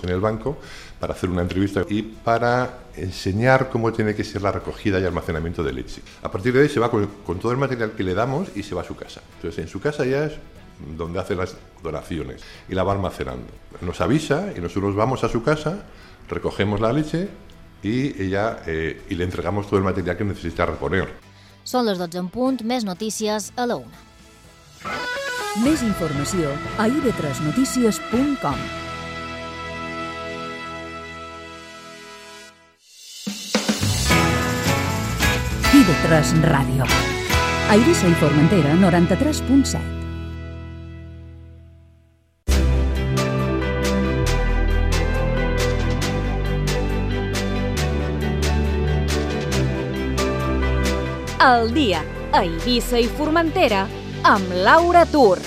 en el banco para hacer una entrevista y para enseñar cómo tiene que ser la recogida y almacenamiento de leche. A partir de ahí se va con todo el material que le damos y se va a su casa. Entonces en su casa ya es donde hace las donaciones y la va almacenando. Nos avisa y nosotros vamos a su casa, recogemos la leche y le entregamos todo el material que necesita reponer. Són les 12 en punt, més notícies a la 1. Més informació a ib3notícies.com. IB3 Ràdio. A Eivissa i Formentera, 93.7. El dia a Eivissa i Formentera amb Laura Tur.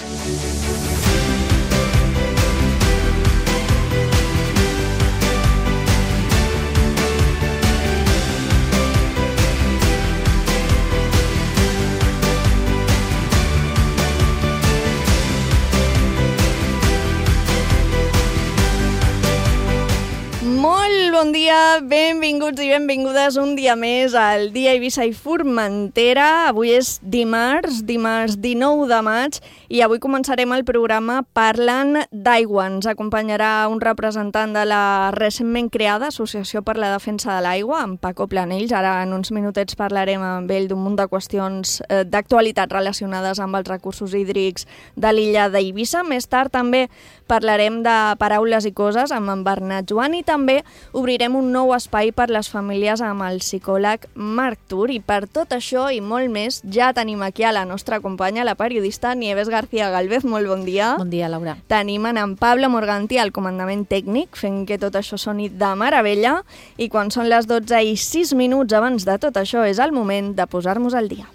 Bon dia, benvinguts i benvingudes un dia més al Dia Eivissa i Formentera. Avui és dimarts 19 de maig i avui començarem el programa parlant d'aigua. Ens acompanyarà un representant de la recentment creada Associació per la Defensa de l'Aigua, en Paco Planells. Ara en uns minutets parlarem amb ell d'un munt de qüestions d'actualitat relacionades amb els recursos hídrics de l'illa d'Eivissa. Més tard també parlarem de paraules i coses amb en Bernat Joan i també obrirem un nou espai per les famílies amb el psicòleg Marc Tur. I per tot això i molt més ja tenim aquí a la nostra companya, la periodista Nieves García Galvez. Molt bon dia. Bon dia, Laura. Tenim en Pablo Morganti al comandament tècnic, fent que tot això soni de meravella. I quan són les 12:06 abans de tot això és el moment de posar-nos al dia.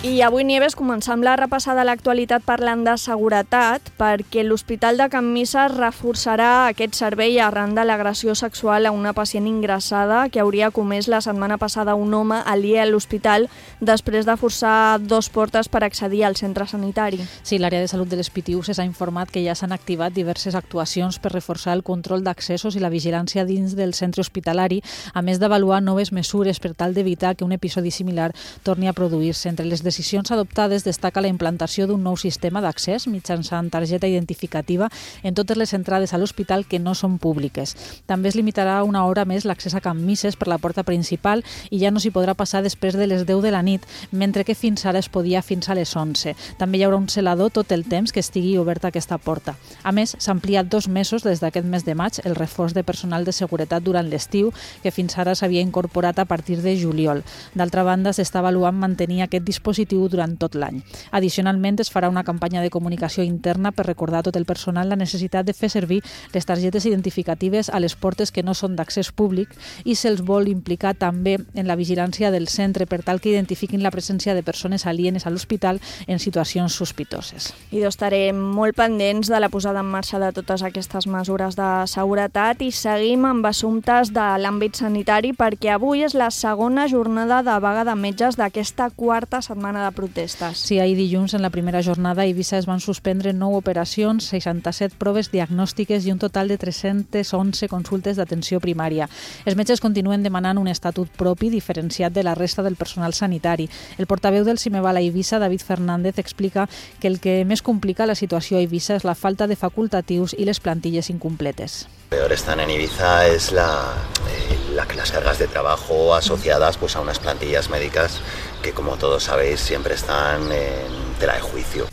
I avui, Nieves, començam la repassada a l'actualitat parlant de seguretat perquè l'Hospital de Can Misses reforçarà aquest servei arran de l'agressió sexual a una pacient ingressada que hauria comès la setmana passada un home aliè a l'hospital després de forçar 2 portes per accedir al centre sanitari. Sí, l'àrea de salut de les Pitiüses ha informat que ja s'han activat diverses actuacions per reforçar el control d'accessos i la vigilància dins del centre hospitalari, a més d'avaluar noves mesures per tal d'evitar que un episodi similar torni a produir-se. Entre les decisions adoptades destaca la implantació d'un nou sistema d'accés mitjançant targeta identificativa en totes les entrades a l'hospital que no són públiques. També es limitarà una hora més l'accés a Can Misses per la porta principal i ja no s'hi podrà passar després de les 10 de la nit, mentre que fins ara es podia fins a les 11. També hi haurà un celador tot el temps que estigui oberta aquesta porta. A més, s'ha ampliat 2 mesos des d'aquest mes de maig el reforç de personal de seguretat durant l'estiu, que fins ara s'havia incorporat a partir de juliol. D'altra banda, s'està avaluant mantenir aquest dispositiu durant tot l'any. Addicionalment, es farà una campanya de comunicació interna per recordar a tot el personal la necessitat de fer servir les targetes identificatives a les portes que no són d'accés públic i se'ls vol implicar també en la vigilància del centre per tal que identifiquin la presència de persones alienes a l'hospital en situacions sospitoses. I estarem molt pendents de la posada en marxa de totes aquestes mesures de seguretat i seguim amb assumptes de l'àmbit sanitari perquè avui és la segona jornada de vaga de metges d'aquesta quarta setmana de protestes. Sí, ahir dilluns, en la primera jornada, a Eivissa es van suspendre 9 operacions, 67 proves diagnòstiques i un total de 311 consultes d'atenció primària. Els metges continuen demanant un estatut propi diferenciat de la resta del personal sanitari. El portaveu del Cimeval a Eivissa, David Fernández, explica que el que més complica la situació a Eivissa és la falta de facultatius i les plantilles incompletes. Peor están en Ibiza es las cargas de trabajo asociadas pues, a unas plantillas médicas que, como todos sabéis, siempre están en tela de juicio.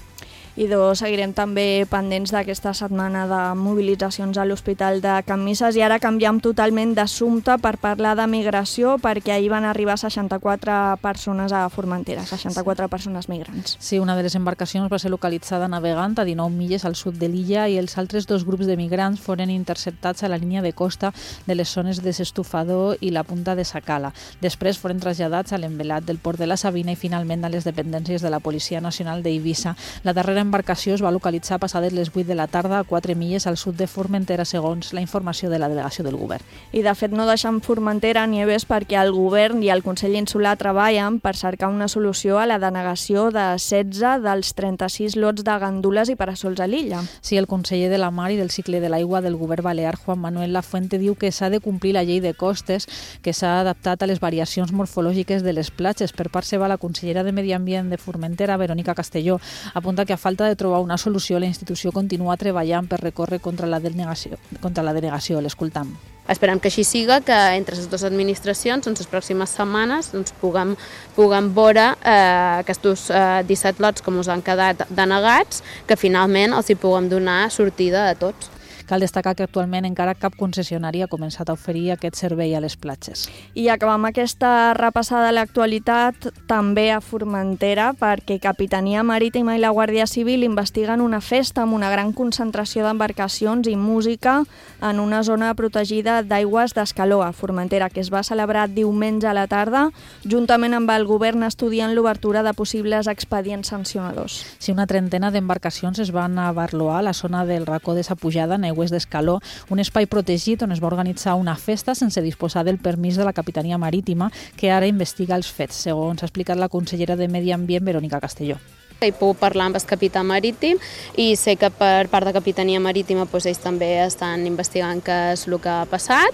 I seguirem també pendents d'aquesta setmana de mobilitzacions a l'Hospital de Can Misses i ara canviem totalment d'assumpte per parlar de migració perquè ahir van arribar 64 persones a Formentera, 64 persones migrants. Sí, una de les embarcacions va ser localitzada navegant a 19 milles al sud de l'illa i els altres 2 grups de migrants foren interceptats a la línia de costa de les zones de Sestufador i la punta de Sacala. Després foren traslladats a l'envelat del port de la Sabina i finalment a les dependències de la Policia Nacional d'Eivissa. La darrera embarcació es va localitzar passades les 8 de la tarda a 4 milles al sud de Formentera, segons la informació de la delegació del govern. I de fet no deixen Formentera, Nieves, perquè el govern i el Consell Insular treballen per cercar una solució a la denegació de 16 dels 36 lots de gandules i parasols a l'illa. Sí, el conseller de la Mar i del Cicle de l'Aigua del govern balear, Juan Manuel Lafuente, diu que s'ha de complir la llei de costes, que s'ha adaptat a les variacions morfològiques de les platges. Per part seva, la consellera de Medi Ambient de Formentera, Verónica Castelló, apunta que a falta de trobar una solució, la institució continua treballant per recórrer contra la denegació. L'escoltam. Esperem que així siga, que entre les dues administracions, en les pròximes setmanes, puguem veure aquests 17 lots que ens han quedat denegats, que finalment els hi puguem donar sortida a tots. Cal destacar que actualment encara cap concessionari ha començat a oferir aquest servei a les platges. I acabam aquesta repassada a l'actualitat també a Formentera, perquè Capitania Marítima i la Guàrdia Civil investiguen una festa amb una gran concentració d'embarcacions i música en una zona protegida d'aigües d'Escaló, a Formentera, que es va celebrar diumenge a la tarda, juntament amb el govern estudiant l'obertura de possibles expedients sancionadors. Sí, una trentena d'embarcacions es van abarloar a la zona del racó de sa pujada, en aigües d'Escaló, un espai protegit on es va organitzar una festa sense disposar del permís de la Capitania Marítima, que ara investiga els fets, segons ha explicat la consellera de Medi Ambient, Verónica Castelló. He pogut parlar amb el capità marítim i sé que per part de Capitania Marítima ells també estan investigant què és el que ha passat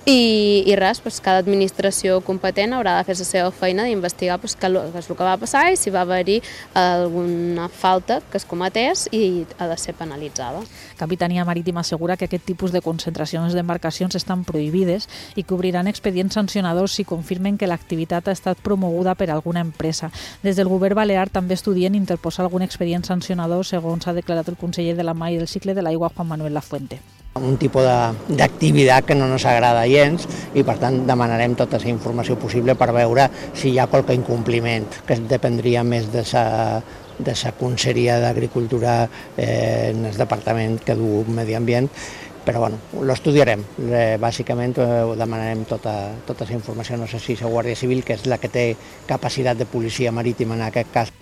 i res, cada administració competent haurà de fer la seva feina d'investigar què és el que va passar i si va haver-hi alguna falta que es cometés i ha de ser penalitzada. Capitania Marítima assegura que aquest tipus de concentracions d'embarcacions estan prohibides i que obriran expedients sancionadors si confirmen que l'activitat ha estat promoguda per alguna empresa. Des del govern balear també estudien interposar algun expedient sancionador, segons ha declarat el conseller de la Mar i del Cicle de l'Aigua, Juan Manuel Lafuente. Un tipus d'activitat que no ens agrada gens i per tant demanarem tota la informació possible per veure si hi ha qualque incompliment, que dependria més de la Conselleria d'Agricultura en el departament que du Medi Ambient, però bueno, l'estudiarem. Bàsicament demanarem tota la informació, no sé si la Guàrdia Civil, que és la que té capacitat de policia marítima en aquest cas.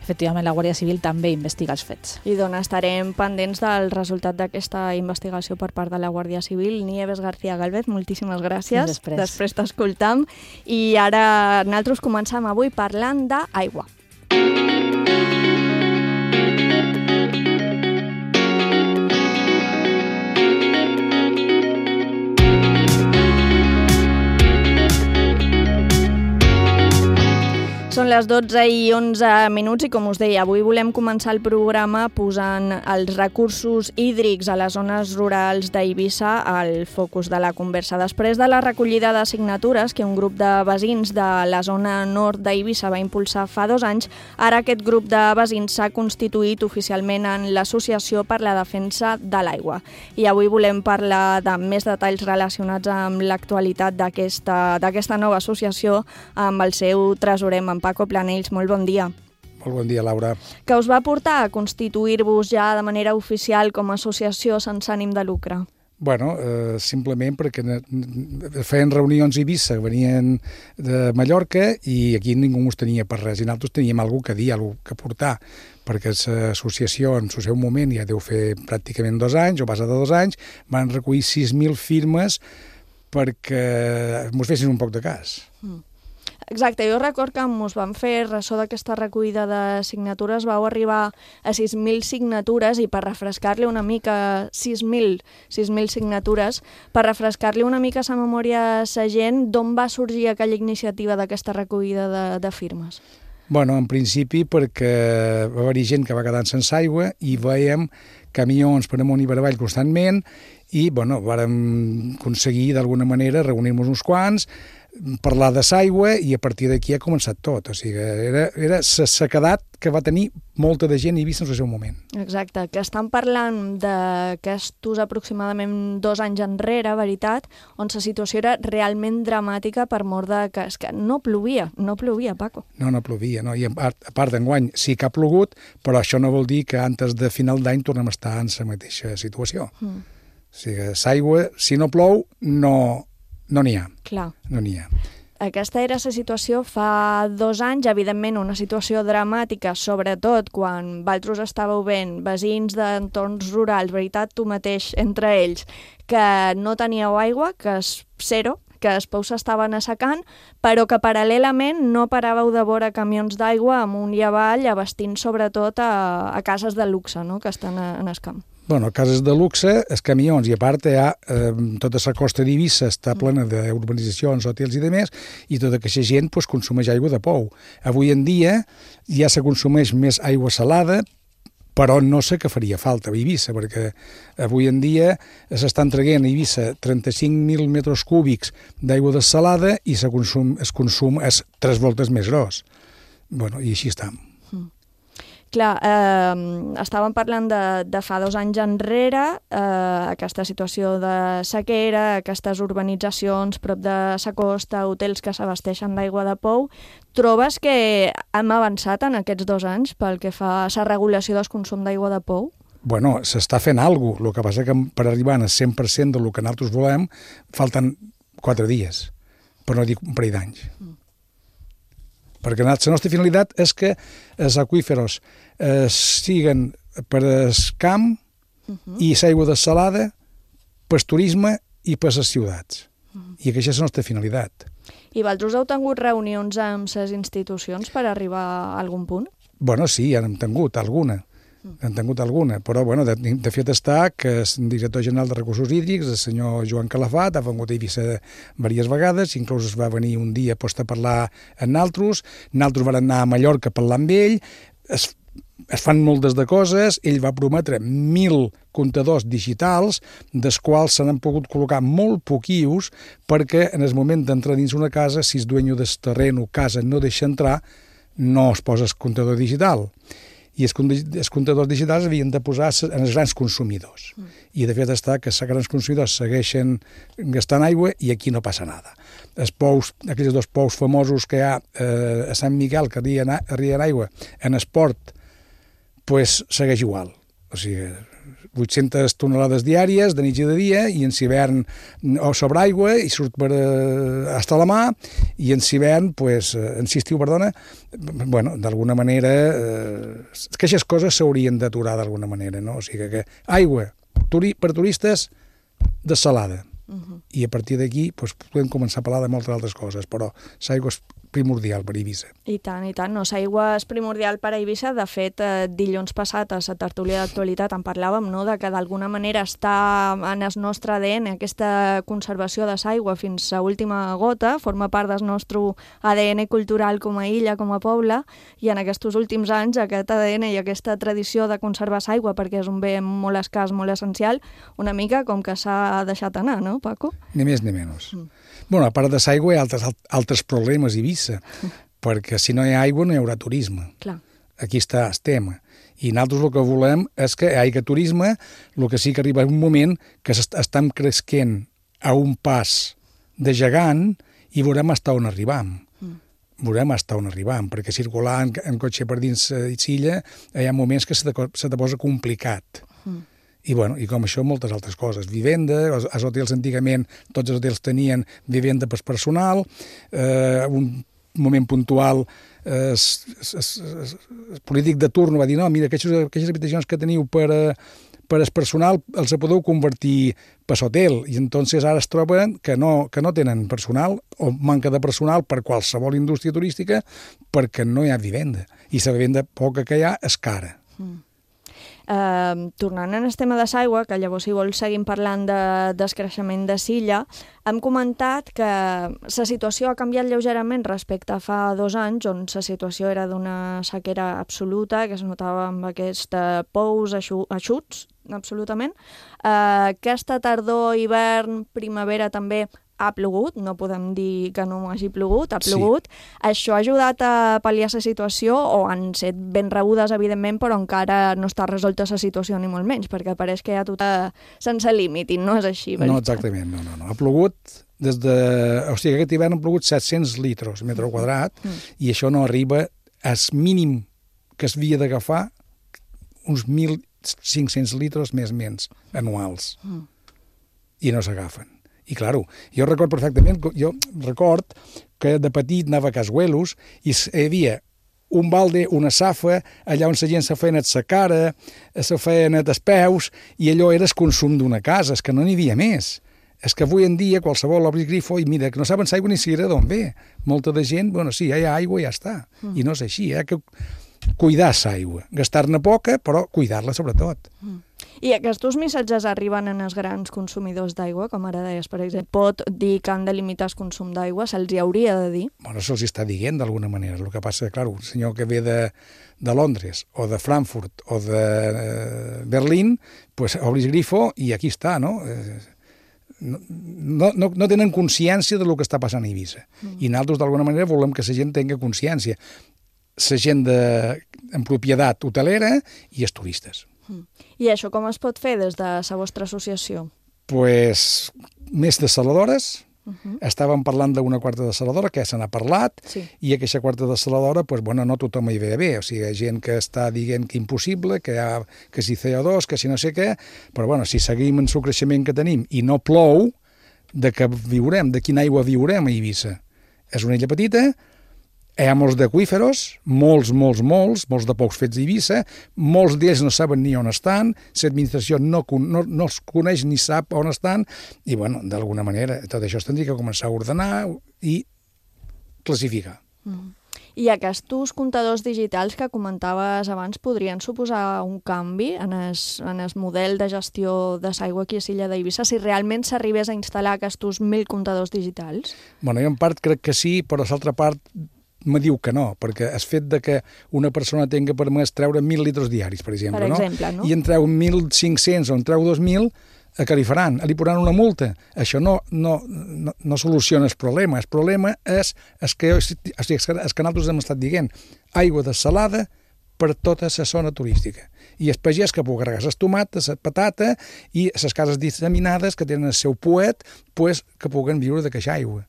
Efectivament, la Guàrdia Civil també investiga els fets. I doncs estarem pendents del resultat d'aquesta investigació per part de la Guàrdia Civil. Nieves García Galvez, moltíssimes gràcies. Després t'escoltam. I ara nosaltres comencem avui parlant d'aigua. Són les 12:11 i, com us deia, avui volem començar el programa posant els recursos hídrics a les zones rurals d'Eivissa al focus de la conversa. Després de la recollida de signatures que un grup de veïns de la zona nord d'Eivissa va impulsar fa 2 anys, ara aquest grup de veïns s'ha constituït oficialment en l'Associació per la Defensa de l'Aigua. I avui volem parlar de més detalls relacionats amb l'actualitat d'aquesta nova associació amb el seu tresorer, amb Paco Planells. Molt bon dia. Molt bon dia, Laura. Què us va portar a constituir-vos ja de manera oficial com a associació sense ànim de lucre? Bueno, simplement perquè feien reunions a Eivissa, venien de Mallorca i aquí ningú ens tenia per res i nosaltres teníem alguna cosa que dir, alguna cosa que portar, perquè l'associació en el seu moment ja deu fer pràcticament 2 anys o base de 2 anys, van recollir 6.000 firmes perquè ens fessin un poc de cas. Exacte, jo record que us van fer ressò d'aquesta recollida de signatures, vau arribar a 6.000 signatures i per refrescar-li una mica 6.000 signatures, per refrescar-li una mica sa memòria a sa gent, d'on va sorgir aquella iniciativa d'aquesta recollida de firmes? Bueno, en principi perquè va haver-hi gent que va quedar sense aigua i veiem camions per amunt i per avall constantment i, bueno, vàrem aconseguir d'alguna manera reunir-nos uns quants, parlar de l'aigua i a partir d'aquí ha començat tot. O sigui, era la sequedat que va tenir molta de gent a Eivissa en el seu moment. Exacte, que estan parlant d'aquestos aproximadament 2 anys enrere, veritat, on la situació era realment dramàtica per mort de que no plovia, Paco. No plovia, no. I a part d'enguany sí que ha plogut, però això no vol dir que antes de final d'any tornem a estar en la mateixa situació. O sigui, l'aigua, si no plou, no n'hi ha. Clar. No n'hi ha. Aquesta era la situació fa 2 anys, evidentment una situació dramàtica, sobretot quan vosaltres estàveu veient veïns d'entorns rurals, veritat, tu mateix, entre ells, que no teníeu aigua, que és zero, que els pous s'estaven assecant, però que paral·lelament no paràveu de veure camions d'aigua amunt i avall, abastint sobretot a cases de luxe, no?, que estan en el camp. Bueno, cases de luxe, els camions, i a part tota la costa d'Eivissa està plena d'urbanitzacions, hotels i demés, i tota aquesta gent consumeix aigua de pou. Avui en dia ja se consumeix més aigua salada, però no sé què faria falta a Eivissa, perquè avui en dia s'estan traient a Eivissa 35.000 metres cúbics d'aigua dessalada i el consum és 3 voltes més gros. Bueno, i així estem. Clar, estàvem parlant de fa 2 anys enrere, aquesta situació de sequera, aquestes urbanitzacions prop de la costa, hotels que s'abasteixen d'aigua de pou. Trobes que hem avançat en aquests 2 anys pel que fa a la regulació del consum d'aigua de pou? Bueno, s'està fent alguna cosa. El que passa que per arribar al 100% del que nosaltres volem falten 4 dies, per no dir un parell d'anys. Perquè la nostra finalitat és que els aqüíferos siguen per el camp i l'aigua dessalada per turisme i per les ciutats. I aquesta és la nostra finalitat. I vosaltres heu tingut reunions amb les institucions per arribar a algun punt? Bueno, sí, ja n'hem tingut alguna. Però bueno, de fet està que el director general de Recursos Hídrics, el senyor Joan Calafat, ha vengut a Eivissa diverses vegades, inclús es va venir un dia a parlar amb nosaltres van anar a Mallorca a parlar amb ell, es fan moltes de coses, ell va prometre 1.000 comptadors digitals, dels quals se n'han pogut col·locar molt poquius, perquè en el moment d'entrar dins una casa, si el dueño del terreno, casa, no deixa entrar, no es posa el comptador digital. I els comptadors digitals havien de posar en els grans consumidors. I de fet està que els grans consumidors segueixen gastant aigua i aquí no passa nada. Els pous, aquells 2 pous famosos que hi ha a Sant Miquel que arrien aigua en esport, pues segueix igual. O sigui, 800 tonelades diàries, de nit i de dia, i en hivern sobre aigua, i surt per hasta la mà, i en hivern, en estiu, perdona, bueno, d'alguna manera, que aquestes coses s'haurien d'aturar d'alguna manera, no? O sigui que aigua per turistes dessalada. I a partir d'aquí podem començar a parlar de moltes altres coses, però l'aigua és primordial per Eivissa. I tant, no, l'aigua és primordial per Eivissa. De fet, dilluns passat a la tertúlia d'actualitat en parlàvem, no?, de que d'alguna manera està en el nostre ADN aquesta conservació de l'aigua fins a última gota, forma part del nostre ADN cultural com a illa, com a poble, i en aquests últims anys aquest ADN i aquesta tradició de conservar l'aigua, perquè és un bé molt escàs, molt essencial, una mica com que s'ha deixat anar, no, Paco? Ni més ni menys. Bueno, a part de l'aigua hi ha altres problemes a Eivissa, perquè si no hi ha aigua no hi haurà turisme. Clar. Aquí està el tema. I nosaltres el que volem és que hi hagi turisme, el que sí que arriba un moment que estem cresquent a un pas de gegant i veurem fins on arribam. Perquè circular en cotxe per dins l'illa hi ha moments que se te posa complicat. I com això moltes altres coses. Vivenda, els hotels antigament, tots els hotels tenien vivenda per personal, un moment puntual el polític de turno va dir no, mira, aquestes habitacions que teniu per el personal els podeu convertir per l'hotel, i entonces ara es troben que no tenen personal o manca de personal per qualsevol indústria turística perquè no hi ha vivenda, i la vivenda poca que hi ha és cara. Tornant en el tema de l'aigua, que llavors si vols seguim parlant del creixement de l'illa, hem comentat que la situació ha canviat lleugerament respecte a fa 2 anys, on la situació era d'una sequera absoluta, que es notava amb aquests pous eixuts, absolutament. Aquesta tardor, hivern, primavera també ha plogut, no podem dir que no hagi plogut, ha plogut. Sí. Això ha ajudat a pal·liar la situació, o han set ben rebudes, evidentment, però encara no està resolta la situació, ni molt menys, perquè pareix que hi ha tot sense límit, i no és així. No, exactament, no. Ha plogut o sigui, aquest hivern han plogut 700 litres metre quadrat, i això no arriba al mínim que es havia d'agafar uns 1.500 litres més menys anuals. I no s'agafen. I, clar, jo record perfectament, que de petit anava a Casuelos i hi havia un balde, una safa, allà on la gent se feien la cara, se feien els peus, i allò era el consum d'una casa, és que no n'hi havia més. És que avui en dia qualsevol obri grifo i mira, que no saben l'aigua ni siquiera d'on ve. Molta de gent, bueno, sí, hi ha aigua i ja està. I no és així, que cuidar l'aigua. Gastar-ne poca, però cuidar-la sobretot. I aquests missatges arriben als grans consumidors d'aigua, com ara deies, per exemple. Pot dir que han de limitar el consum d'aigua? Se'ls hi hauria de dir? Bueno, se'ls està dient d'alguna manera. El que passa, clar, un senyor que ve de Londres o de Frankfurt o de Berlín, pues obris grifo i aquí està, no? No tenen consciència del que està passant a Eivissa. I nosaltres, d'alguna manera, volem que la gent tingui consciència. La gent en propietat hotelera i els turistes. I això com es pot fer des de la vostra associació? Pues, més de saladores. Estàvem parlant d'una quarta de saladora, que se n'ha parlat, i aquesta quarta de saladora, pues, bueno, no tothom hi ve bé. O sigui, hi ha gent que està dient que impossible, que si CO2, que si no sé què, però bueno, si seguim en el creixement que tenim i no plou, de què viurem, de quina aigua viurem a Eivissa? És una illa petita, hi ha molts d'aqüíferos, molts de pocs fets a Eivissa, molts d'ells no saben ni on estan, l'administració no els coneix ni sap on estan, i, bueno, d'alguna manera, tot això es tindria que començar a ordenar i classificar. I aquests comptadors digitals que comentaves abans podrien suposar un canvi en el model de gestió de l'aigua aquí a l'illa d'Eivissa, si realment s'arribés a instal·lar aquests 1.000 comptadors digitals? Bueno, jo en part crec que sí, però l'altra part me diu que no, perquè el fet de que una persona tingui permès treure 1.000 litres diaris, per exemple, no? I en treu 1.500 o en treu 2.000, què li faran? Li posaran una multa? Això no soluciona el problema. El problema és que nosaltres hem estat dient aigua dessalada per tota la zona turística. I el pagès que pugui regar les tomates, la patata i les cases disseminades que tenen el seu poet, pues, que puguen viure d'aquesta aigua.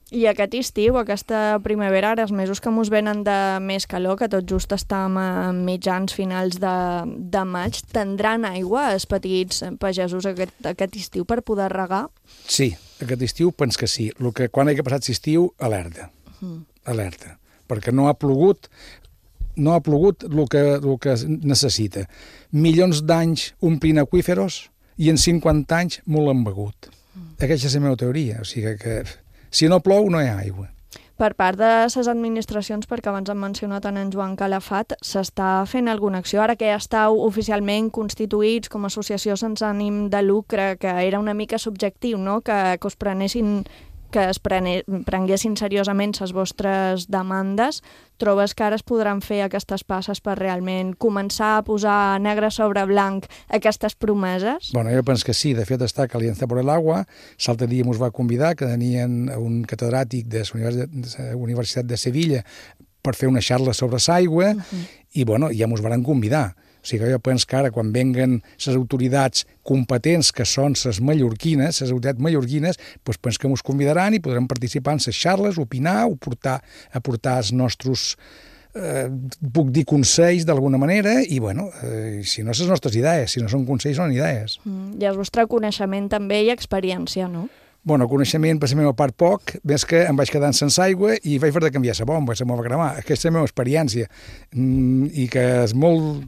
I aquest estiu, aquesta primavera, ara els mesos que mos venen de més calor, que tot just estem a mitjans finals de maig, tindran aigua els petits pagesos aquest estiu per poder regar? Sí, aquest estiu pens que sí. Quan hagi passat l'estiu, alerta. Alerta. Perquè no ha plogut el que necessita. Milions d'anys omplint aqüíferos i en 50 anys molt l'han begut. Aquesta és la meva teoria. O sigui que si no plou, no hi ha aigua. Per part de les administracions, perquè abans hem mencionat en Joan Calafat, s'està fent alguna acció? Ara que ja estàu oficialment constituïts com a associació sense ànim de lucre, que era una mica subjectiu, no? Que es prenguessin seriosament les vostres demandes, trobes que ara es podran fer aquestes passes per realment començar a posar negre sobre blanc aquestes promeses? Bueno, jo penso que sí. De fet, està que Alianza por el Agua, l'altre dia ens va convidar, que tenien un catedràtic de la Universitat de Sevilla per fer una xarra sobre l'aigua, i bueno, ja ens van convidar. O sigui, jo penso que ara, quan venguen les autoritats competents, que són les mallorquines, doncs penso que ens convidaran i podrem participar en les xarles, opinar, aportar els nostres, puc dir, consells d'alguna manera, i, bueno, si no, les nostres idees, si no són consells, són idees. I el vostre coneixement també i experiència, no? Bueno, coneixement per la meva part poc, més que em vaig quedant sense aigua i vaig haver de canviar la bomba, se m'ho va cremar. Aquesta és la meva experiència, i que és molt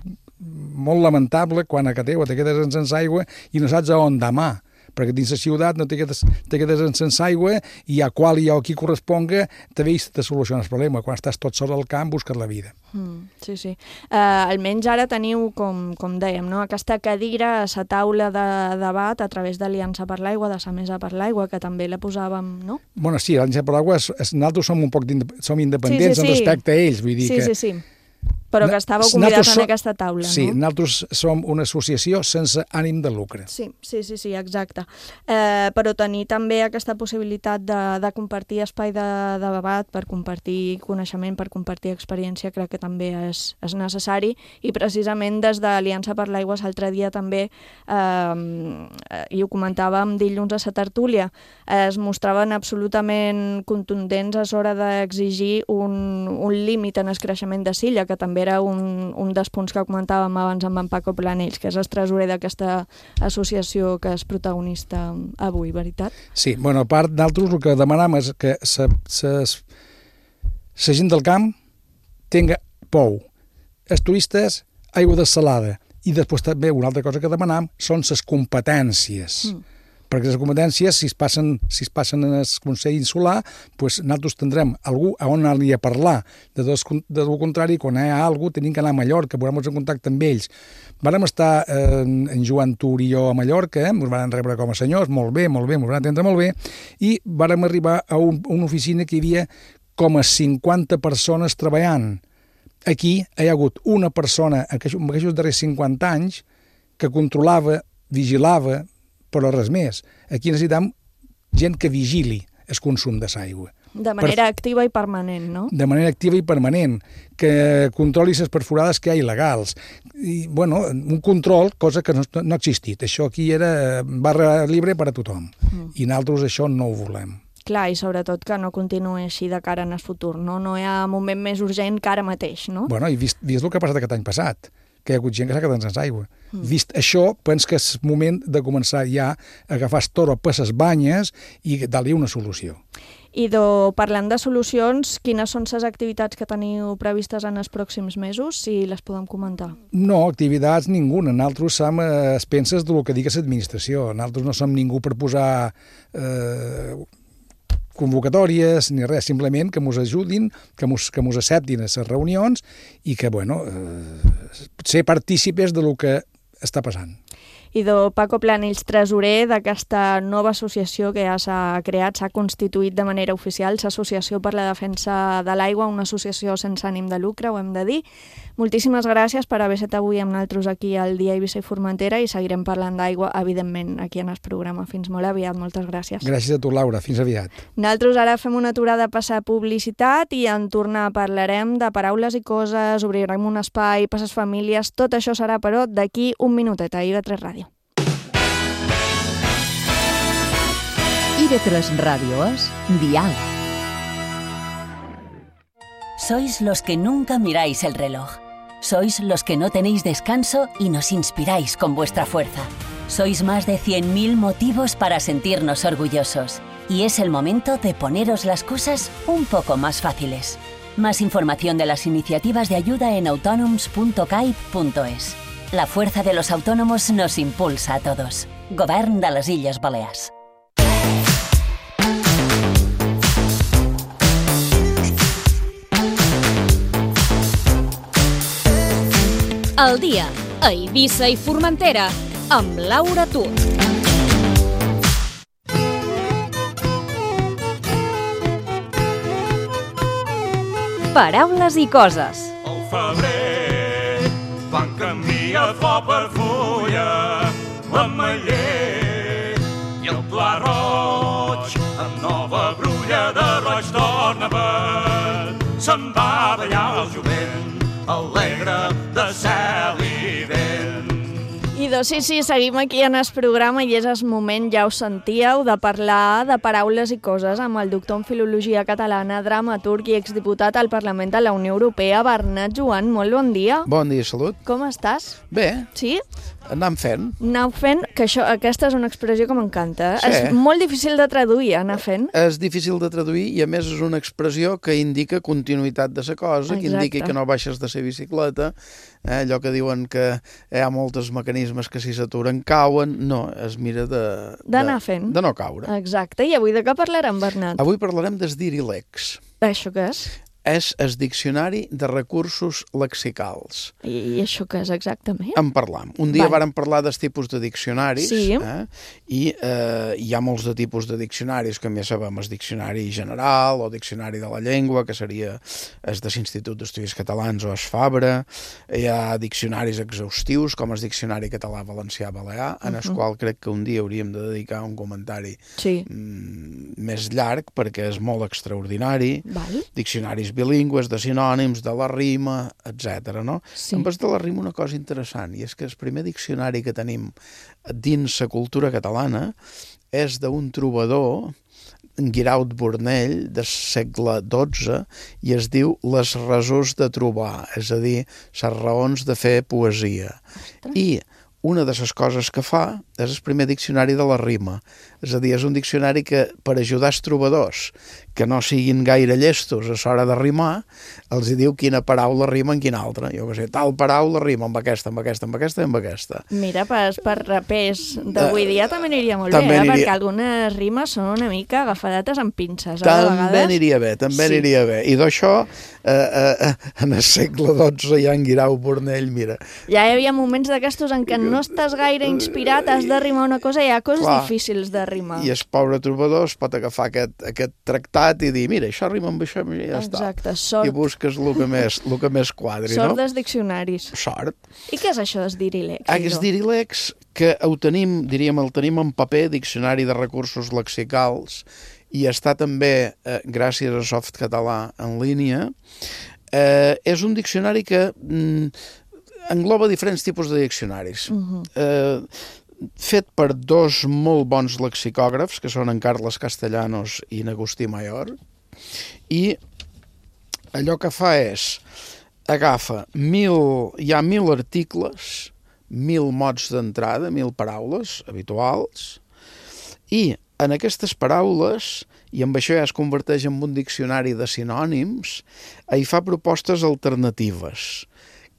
lamentable quan a Cateu te quedes sense aigua i no saps on demà, perquè dins la ciutat no te quedes sense aigua i a qual i a qui corresponga te soluciona el problema. Quan estàs tot sol al camp busques la vida. Sí. Almenys ara teniu, com dèiem, no? Aquesta cadira a la taula de debat a través d'Aliança per l'Aigua, de la Mesa per l'Aigua, que també la posàvem, no? Bueno, sí, l'Aliança per l'Aigua, nosaltres som independents respecte a ells, vull dir que... Sí. Però que estàveu convidats en aquesta taula, no? Sí, nosaltres som una associació sense ànim de lucre. Sí, exacte. Però tenir també aquesta possibilitat de compartir espai de debat, per compartir coneixement, per compartir experiència, crec que també és necessari, i precisament des de l'Aliança per l'Aigua l'altre dia també, i ho comentàvem dilluns a la tertúlia, es mostraven absolutament contundents a l'hora d'exigir un límit en el creixement de Silla, que també també era un dels punts que comentàvem abans amb en Paco Planells, que és el tresorer d'aquesta associació que és protagonista avui, veritat? Sí, bueno, a part d'altres, el que demanam és que la gent del camp tinga pou, els turistes aigua dessalada, i després també una altra cosa que demanam són les competències. Perquè les competències, si es passen en el Consell Insular, doncs nosaltres tindrem algú a on anar-li a parlar. De lo contrari, quan hi ha alguna cosa, tenim que anar a Mallorca, posem-nos en contacte amb ells. Vàrem estar en Joan Tur i jo a Mallorca, ens van rebre com a senyors, molt bé, ens van atendre molt bé, i vàrem arribar a una oficina que hi havia com a 50 persones treballant. Aquí hi ha hagut una persona, en aquests darrers 50 anys, que controlava, vigilava, però res més. Aquí necessitem gent que vigili el consum de l'aigua. De manera activa i permanent, no? De manera activa i permanent, que controli les perforades que hi ha il·legals. I, bueno, un control, cosa que no ha existit. Això aquí era barra libre per a tothom. I nosaltres això no ho volem. Clar, i sobretot que no continuï així de cara en el futur, no? No hi ha moment més urgent que ara mateix, no? Bueno, i vist el que ha passat aquest any passat, que hi ha hagut gent que s'ha quedat sense aigua. Vist això, penso que és moment de començar ja a agafar el toro per les banyes i dar-li una solució. I parlant de solucions, quines són les activitats que teniu previstes en els pròxims mesos, si les podem comentar? No, activitats ninguna. Nosaltres som a expenses del que digui l'administració. Nosaltres no som ningú per posar convocatòries ni res, simplement que ens ajudin, que ens acceptin a les reunions i que, bueno, ser partícipes del que està passant. I Paco Planells, tresorer d'aquesta nova associació que ja s'ha creat, s'ha constituït de manera oficial, l'Associació per la Defensa de l'Aigua, una associació sense ànim de lucre, ho hem de dir. Moltíssimes gràcies per haver estat avui amb nosaltres aquí al Dia Eivissa i Formentera i seguirem parlant d'aigua, evidentment, aquí en el programa. Fins molt aviat, moltes gràcies. Gràcies a tu, Laura. Fins aviat. Nosaltres ara fem una aturada a passar publicitat i en tornar parlarem de paraules i coses, obrirem un espai per a les famílies. Tot això serà, però, d'aquí un minutet a IB3 Ràdio. IB3 Radio es Dial. Sois los que nunca miráis el reloj. Sois los que no tenéis descanso y nos inspiráis con vuestra fuerza. Sois más de 100.000 motivos para sentirnos orgullosos. Y es el momento de poneros las cosas un poco más fáciles. Más información de las iniciativas de ayuda en autonoms.caip.es. La fuerza de los autónomos nos impulsa a todos. Govern de les Illes Balears. El dia a Eivissa i Formentera amb Laura Tur. Paraules i coses. Al febrer fan canvia flor per fulla, l'ametller i el pla roig amb nova brulla de roig torna per se'n va ballar el jovent alegre de cel i vent. I sí, seguim aquí en el programa i és el moment, ja ho sentíeu, de parlar de paraules i coses amb el doctor en Filologia Catalana, dramaturg i exdiputat al Parlament de la Unió Europea, Bernat Joan. Molt bon dia. Bon dia, salut. Com estàs? Bé. Sí? Anam fent. Anar fent, que aquesta és una expressió que m'encanta. Sí. És molt difícil de traduir, anar fent. És difícil de traduir i a més és una expressió que indica continuïtat de la cosa, que indica que no baixes de la bicicleta, allò que diuen que hi ha molts mecanismes que si s'aturen cauen, no, es mira d'anar fent. De no caure. Exacte, i avui de què parlarem, Bernat? Avui parlarem des Dirilex. Això què és? És el Diccionari de Recursos Lexicals. I això què és exactament? En parlam. Un dia vàrem parlar dels tipus de diccionaris, sí. I hi ha molts de tipus de diccionaris, com ja sabem, el diccionari general o diccionari de la llengua, que seria el de l'Institut d'Estudis Catalans o el Fabra. Hi ha diccionaris exhaustius, com el Diccionari Català Valencià Balear, en el qual crec que un dia hauríem de dedicar un comentari més llarg, perquè és molt extraordinari. Diccionaris bilingües, de sinònims, de la rima, etc. No? Sí. Amb el de la rima una cosa interessant, i és que el primer diccionari que tenim dins la cultura catalana és d'un trobador Guiraut Bornell, del segle XII, i es diu Les raons de trobar, és a dir, les raons de fer poesia. I una de les coses que fa és el primer diccionari de la rima. És a dir, és un diccionari que, per ajudar els trobadors que no siguin gaire llestos a l'hora de rimar, els diu quina paraula rima en quina altra. Jo què sé, tal paraula rima amb aquesta, amb aquesta, amb aquesta i amb aquesta. Mira, per rapers d'avui dia també aniria molt bé, perquè algunes rimes són una mica agafadetes amb pinces. També aniria bé, aniria bé. I d'això, en el segle XII, ja en Guirau Bornell, mira. Ja hi havia moments d'aquestos en què no estàs gaire inspirat, has de rimar una cosa, hi ha coses difícils de rimar. I el pobre trobador es pot agafar aquest tractat i dir, mira, això rima amb això i ja està. Exacte, sort. I busques el que més quadri, no? Sort dels diccionaris. Sort. I què és això dels Dirilex? Els Dirilex, que el tenim en paper, Diccionari de Recursos Lexicals, i està també, gràcies a Softcatalà en línia, és un diccionari que engloba diferents tipus de diccionaris. Fet per dos molt bons lexicògrafs, que són en Carles Castellanos i en Agustí Mayor, i allò que fa és agafa hi ha 1.000 articles, 1.000 mots d'entrada, 1.000 paraules habituals, i en aquestes paraules, i amb això ja es converteix en un diccionari de sinònims, hi fa propostes alternatives.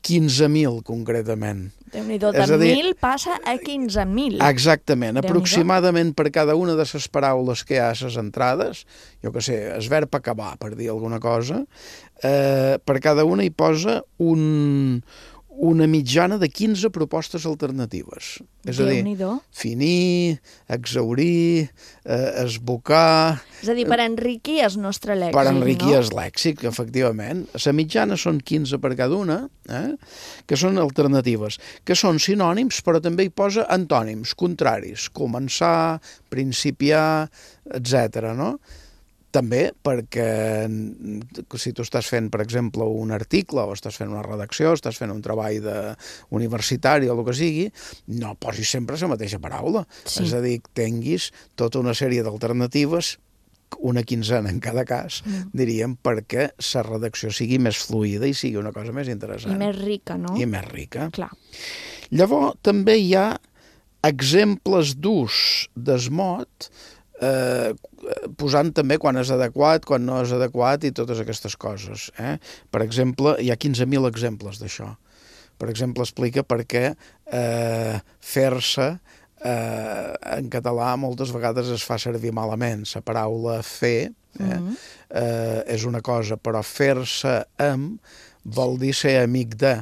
15.000, concretament. Déu-n'hi-do, de 1.000 passa a 15.000. Exactament. Aproximadament per cada una de les paraules que hi ha a les entrades, jo què sé, el verb acabar, per dir alguna cosa, per cada una hi posa una mitjana de 15 propostes alternatives. És a dir, finir, exhaurir, esbocar... És a dir, per enriquir el nostre lèxic, per enriquir el lèxic, efectivament. La mitjana són 15 per cada una, que són alternatives, que són sinònims, però també hi posa antònims, contraris, començar, principiar, etc. no? També perquè si tu estàs fent, per exemple, un article o estàs fent una redacció, estàs fent un treball universitari o el que sigui, no posis sempre la mateixa paraula. Sí. És a dir, tinguis tota una sèrie d'alternatives, una quinzena en cada cas, diríem, perquè la redacció sigui més fluida i sigui una cosa més interessant. I més rica, no? I més rica. Clar. Llavors, també hi ha exemples d'ús d'esmot, posant també quan és adequat, quan no és adequat i totes aquestes coses. Per exemple, hi ha 15.000 exemples d'això. Per exemple, explica per què fer-se en català moltes vegades es fa servir malament. La paraula fer és una cosa, però fer-se amb vol dir ser amic de.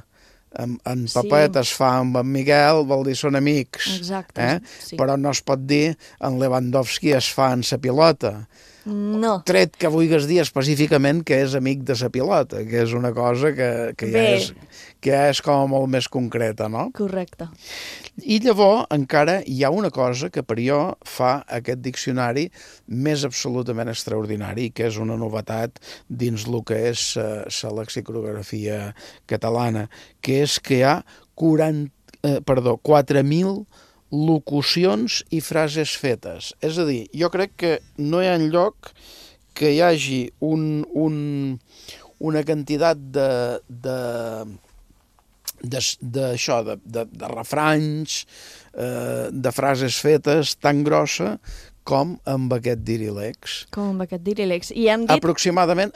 En Papet es fa amb en Miguel, vol dir són amics. Exacte. Però no es pot dir en Lewandowski es fa en sa pilota. No. Tret que vulguis dir específicament que és amic de sa pilota, que és una cosa que ja és com molt més concreta, no? Correcte. I llavors encara hi ha una cosa que per jo fa aquest diccionari més absolutament extraordinari, que és una novetat dins el que és la lexicografia catalana, que és que hi ha 4.000 locucions i frases fetes. És a dir, jo crec que no hi ha enlloc que hi hagi una quantitat de refranys, de frases fetes tan grossa com amb aquest Dirilex. Com amb aquest Dirilex. I hem dit... Aproximadament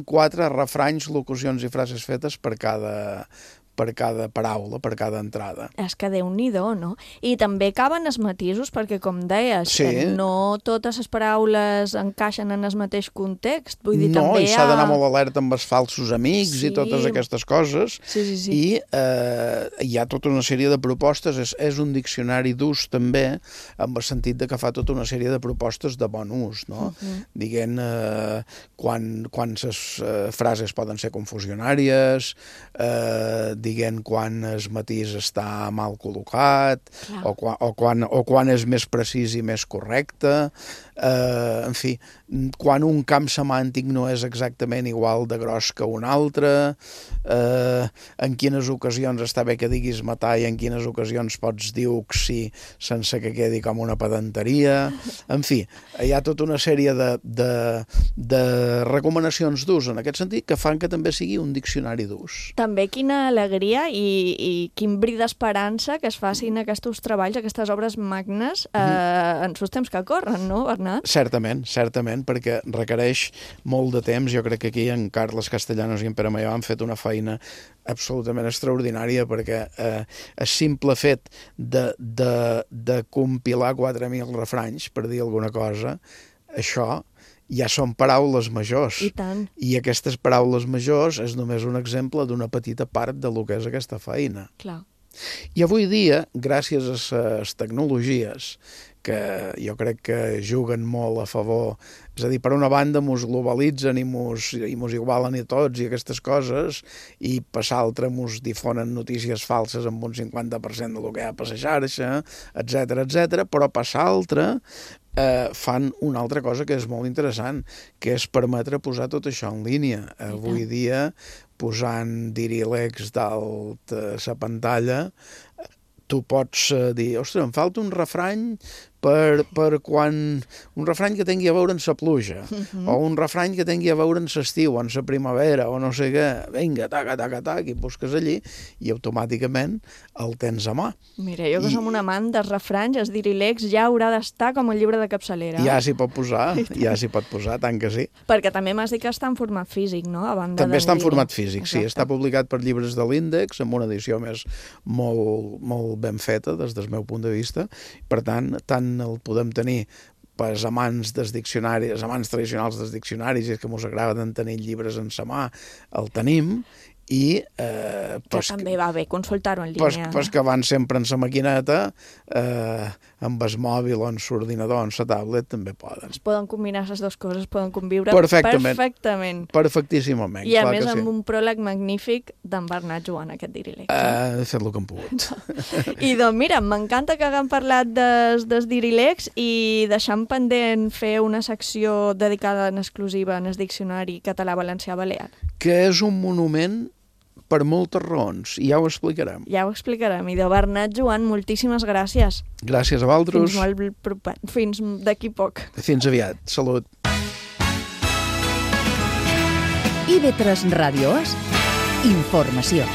4 refranys, locucions i frases fetes per cada paraula, per cada entrada. És que Déu-n'hi-do, no? I també caben els matisos, perquè, com deies, no totes les paraules encaixen en el mateix context. Vull dir, també i s'ha d'anar molt alerta amb els falsos amics i totes aquestes coses. Sí. I hi ha tota una sèrie de propostes. És un diccionari d'ús, també, amb el sentit de que fa tota una sèrie de propostes de bon ús, no? Diguem, quan les frases poden ser confusionàries, dient quan el matís està mal col·locat o quan és més precís i més correcte. En fi, quan un camp semàntic no és exactament igual de gros que un altre, en quines ocasions està bé que diguis matar i en quines ocasions pots dir oxi sense que quedi com una pedanteria. En fi, hi ha tota una sèrie de recomanacions d'ús en aquest sentit que fan que també sigui un diccionari d'ús. També quina alegria i quin bri d'esperança que es facin aquests treballs, aquestes obres magnes en els temps que corren, no, Bernat? Certament, perquè requereix molt de temps. Jo crec que aquí en Carles Castellanos i en Pere Maià han fet una feina absolutament extraordinària, perquè el simple fet de compilar 4.000 refranys, per dir alguna cosa, això ja són paraules majors. I tant. I aquestes paraules majors és només un exemple d'una petita part de lo que és aquesta feina. Clar. I avui dia, gràcies a les tecnologies, que jo crec que juguen molt a favor, és a dir, per una banda mos globalitzen i mos igualen a tots i aquestes coses, i per l'altra mos difonen notícies falses amb un 50% del que hi ha per la xarxa, etc., però per l'altra fan una altra cosa que és molt interessant, que és permetre posar tot això en línia. Avui dia, posant dirilecs dalt a la pantalla, tu pots dir, ostres, em falta un refrany per quan... un refrany que tingui a veure amb la pluja, o un refrany que tingui a veure amb l'estiu, o amb la primavera, o no sé què. Vinga, tac, i busques allí, i automàticament el tens a mà. Mira, jo que som un amant dels refranys, els dirilecs ja haurà d'estar com el llibre de capçalera. Ja s'hi pot posar, tant que sí. Perquè també m'has dit que està en format físic, no? També està en format físic, sí. Està publicat per Llibres de l'Índex, amb una edició més molt ben feta, des del meu punt de vista. Per tant el podem tenir pels amants dels diccionaris, els amants tradicionals dels diccionaris, i és que mos agraden tenir llibres en sa mà, el tenim, i... que també va bé consultar-ho en línia. Pues que van sempre en sa maquineta, amb el mòbil o en l'ordinador o en la tablet, també poden. Es poden combinar les dues coses, poden conviure perfectament. Perfectíssimament. I a més amb un pròleg magnífic d'en Bernat Joan, aquest dirilect. He fet el que hem pogut. I doncs mira, m'encanta que haguem parlat dels dirilects i deixant pendent fer una secció dedicada en exclusiva en el diccionari català-valencià-balear. Que és un monument per moltes raons, i ja ho explicarem. I de Bernat Joan, moltíssimes gràcies. Gràcies a vosaltres. Fins d'aquí poc. Fins aviat. Salut. IB3 Ràdios, informació.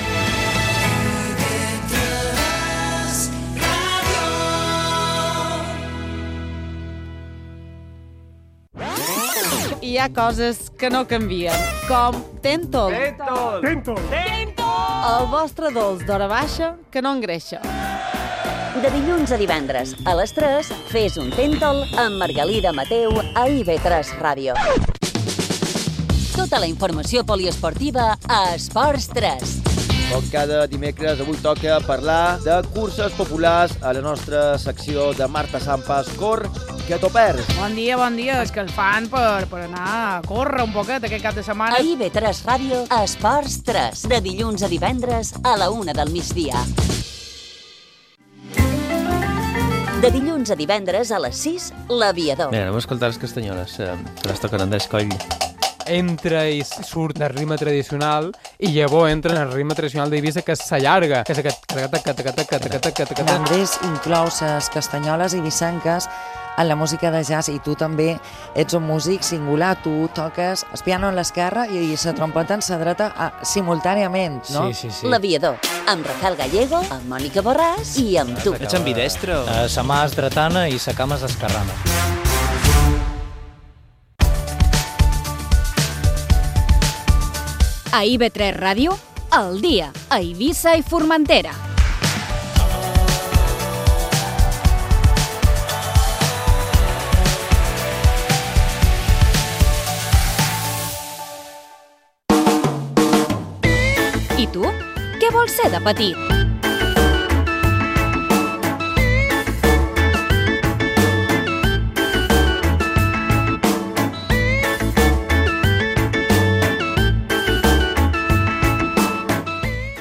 Hi ha coses que no canvien, com Tentol. Tentol. El vostre dolç d'hora baixa que no engreixa. De dilluns a divendres, a les 3, fes un Tentol amb Margalida Mateu a IB3 Ràdio. Tota la informació poliesportiva a Esports 3. Com cada dimecres, avui toca parlar de curses populars a la nostra secció de Marta Sampas Cor, que t'ho perds. Bon dia, és que el fan per anar a córrer un poquet aquest cap de setmana. A IB3 Ràdio, Esports 3, de dilluns a divendres a la 1 del migdia. De dilluns a divendres a les 6, l'Aviador. Mira, anem a escoltar les castanyoles, que les toquen Andrés Coll. Entra i surt el ritme tradicional i llavors entra en el ritme tradicional d'Eivissa, que s'allarga, que és aquest... Andrés inclou les castanyoles i vissanques en la música de jazz, i tu també ets un músic singular, tu toques el piano en l'esquerra i la trompeta en la dreta simultàniament, no? Sí. L'Aviador, amb Rafael Gallego, amb Mònica Borràs i amb tu. Ets ambidestre? Sa mà és dretana i sa cama és esquerrana. A IB3 Ràdio, al dia, a Eivissa i Formentera. I tu? Què vols ser de petit?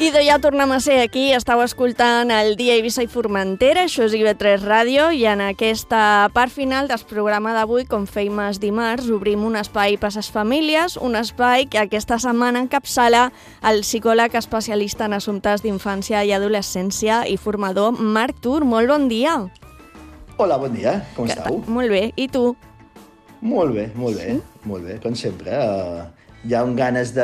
I ja tornem a ser aquí, estàu escoltant el Dia Eivissa i Formentera, això és IB3 Ràdio, i en aquesta part final del programa d'avui, com fèiem els dimarts, obrim un espai per a les famílies, un espai que aquesta setmana encapçala el psicòleg especialista en assumptes d'infància i adolescència i formador Marc Tur. Molt bon dia. Hola, bon dia, com estàu? Molt bé, i tu? Molt bé, com sempre. Hi ha ganes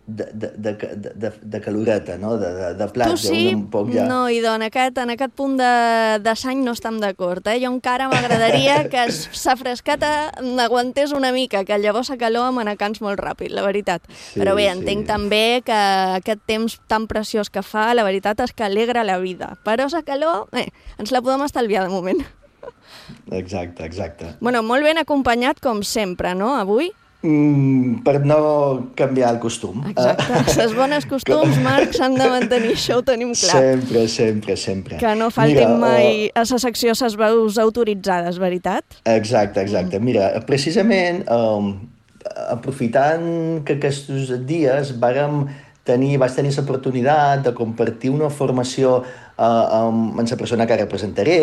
de caloreta, no? De plats. Tu sí? Un poc ja... No, i en aquest punt de sany no estem d'acord. Jo encara m'agradaria que sa frescata n'aguantés una mica, que llavors la calor m'anacans molt ràpid, la veritat. Sí, però bé, entenc també que aquest temps tan preciós que fa, la veritat és que alegra la vida. Però la calor, ens la podem estalviar de moment. Exacte. Bueno, molt ben acompanyat, com sempre, no, avui? Per no canviar el costum. Exacte, les bones costums, Marc, s'han de mantenir, això ho tenim clar. Sempre. Que no faltin mai a la secció les veus autoritzades, veritat? Exacte. Mira, precisament, aprofitant que aquests dies vaig tenir l'oportunitat de compartir una formació amb la persona que representaré.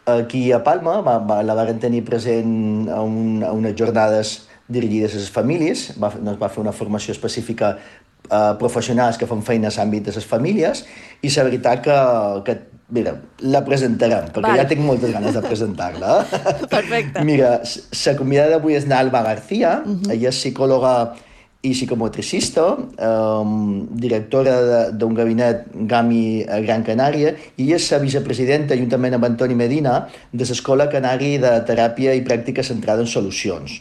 Aquí a Palma la varen tenir present a unes jornades dirigides a les famílies, va fer una formació específica a professionals que fan feines a l'àmbit de les famílies, i la veritat que mira, la presentarem, perquè ja tinc moltes ganes de presentar-la. Perfecte. Mira, la convidada d'avui és Alba García, ella és psicòloga i psicomotricista, directora d'un gabinet GAMI a Gran Canària, i és la vicepresidenta, juntament amb Antoni Medina, de l'Escola Canari de Teràpia i Pràctica Centrada en Solucions.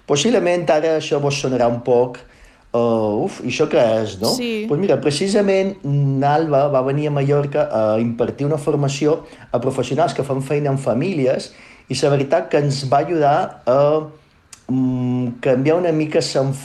Possiblement ara això vos sonarà un poc i això què és, no? Sí. Doncs mira, precisament Alba va venir a Mallorca a impartir una formació a professionals que fan feina en famílies, i la veritat que ens va ajudar a canviar una mica els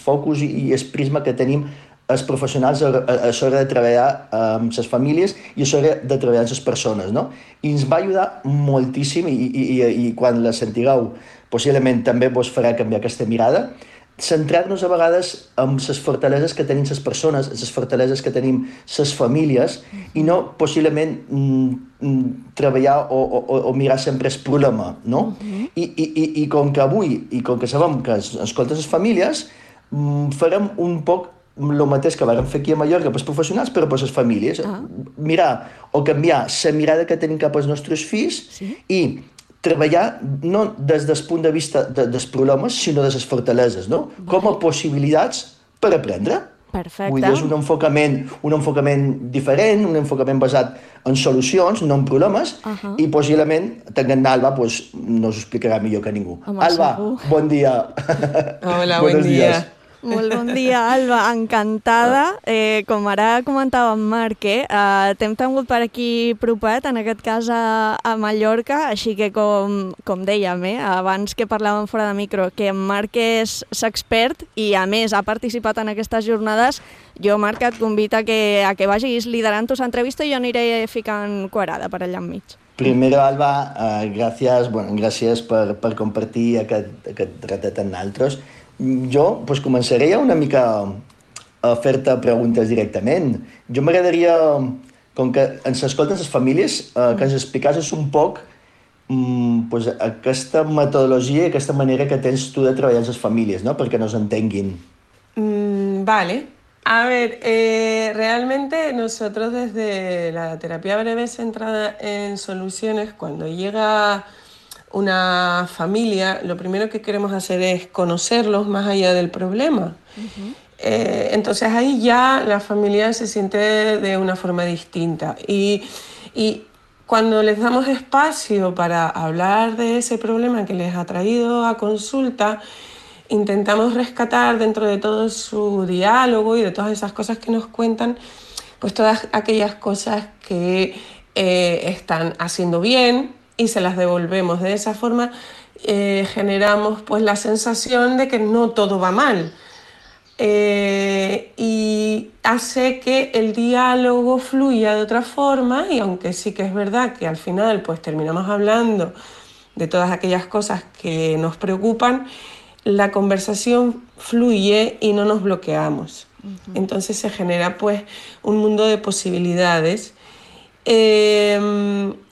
focus i el prisma que tenim els professionals a l'hora de treballar amb les famílies i a l'hora de treballar amb les persones, no? I ens va ajudar moltíssim, i quan la sentireu possiblement també vos farà canviar aquesta mirada, centrar-nos a vegades en les fortaleses que tenim les persones, les fortaleses que tenim les famílies, i no possiblement treballar o mirar sempre el problema, no? I com que avui, i com que sabem que escoltes les famílies, farem un poc el mateix que vam fer aquí a Mallorca pels professionals, però per les famílies. Mirar o canviar la mirada que tenim cap als nostres fills i treballar no des del punt de vista dels problemes, sinó de les fortaleses, no? Com a possibilitats per aprendre. Perfecte. Vull dir, és un enfocament diferent, un enfocament basat en solucions, no en problemes, i possiblement, tenint Alba, nos ho explicarà millor que ningú. Alba, bon dia. Hola, bon dia. Molt bon dia, Alba, encantada. Com ara comentava en Marc, t'hem tingut per aquí propet, en aquest cas a Mallorca, així que com dèiem, abans que parlàvem fora de micro, que en Marc és l'expert i a més ha participat en aquestes jornades, jo, Marc, et convido a que vagis liderant l'entrevista i jo aniré ficant quadrada per allà enmig. Primero, Alba, gràcies per compartir aquest ratet amb nosaltres. Jo començaré una mica a fer-te preguntes directament. Jo m'agradaria, com que ens escolten les famílies, que ens explicassis un poc aquesta metodologia i aquesta manera que tens tu de treballar amb les famílies, ¿no? Perquè nos entenguin. Vale. A ver, realmente nosotros desde la terapia breve centrada en soluciones, cuando llega una familia, lo primero que queremos hacer es conocerlos más allá del problema. Entonces ahí ya la familia se siente de una forma distinta. Y cuando les damos espacio para hablar de ese problema que les ha traído a consulta, intentamos rescatar dentro de todo su diálogo y de todas esas cosas que nos cuentan, pues todas aquellas cosas que están haciendo bien, y se las devolvemos. De esa forma generamos pues la sensación de que no todo va mal, y hace que el diálogo fluya de otra forma, y aunque sí que es verdad que al final pues terminamos hablando de todas aquellas cosas que nos preocupan, la conversación fluye y no nos bloqueamos. Entonces se genera pues un mundo de posibilidades.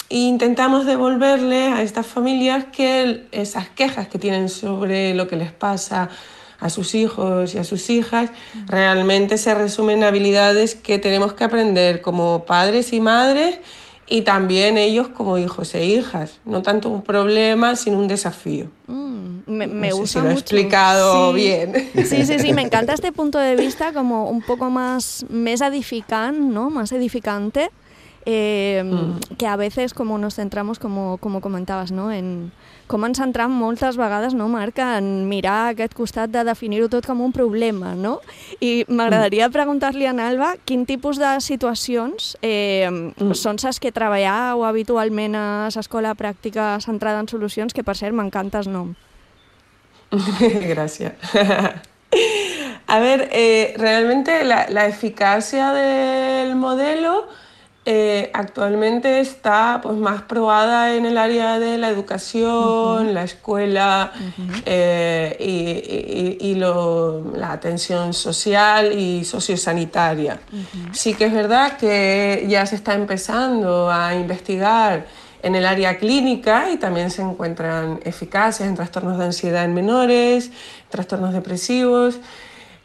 Intentamos devolverle a estas familias que esas quejas que tienen sobre lo que les pasa a sus hijos y a sus hijas realmente se resumen en habilidades que tenemos que aprender como padres y madres y también ellos como hijos e hijas. No tanto un problema, sino un desafío. Me no gusta sé si lo he mucho. explicado bien. Sí, me encanta este punto de vista como un poco más edificante, ¿no? Más edificante. Que a veces como nos centramos, como comentaves, no? En com ens centram moltes vegades, no, Marc, en mirar aquest costat de definir-ho tot com un problema, no? I m'agradaria preguntar-li a Alba quin tipus de situacions són les que treballeu habitualment a l'escola pràctica centrada en solucions, que per cert m'encanta el nom. Gracias. A ver, realmente la eficacia del modelo actualmente está pues, más probada en el área de la educación, la escuela y la atención social y sociosanitaria. Sí que es verdad que ya se está empezando a investigar en el área clínica y también se encuentran eficacias en trastornos de ansiedad en menores, trastornos depresivos,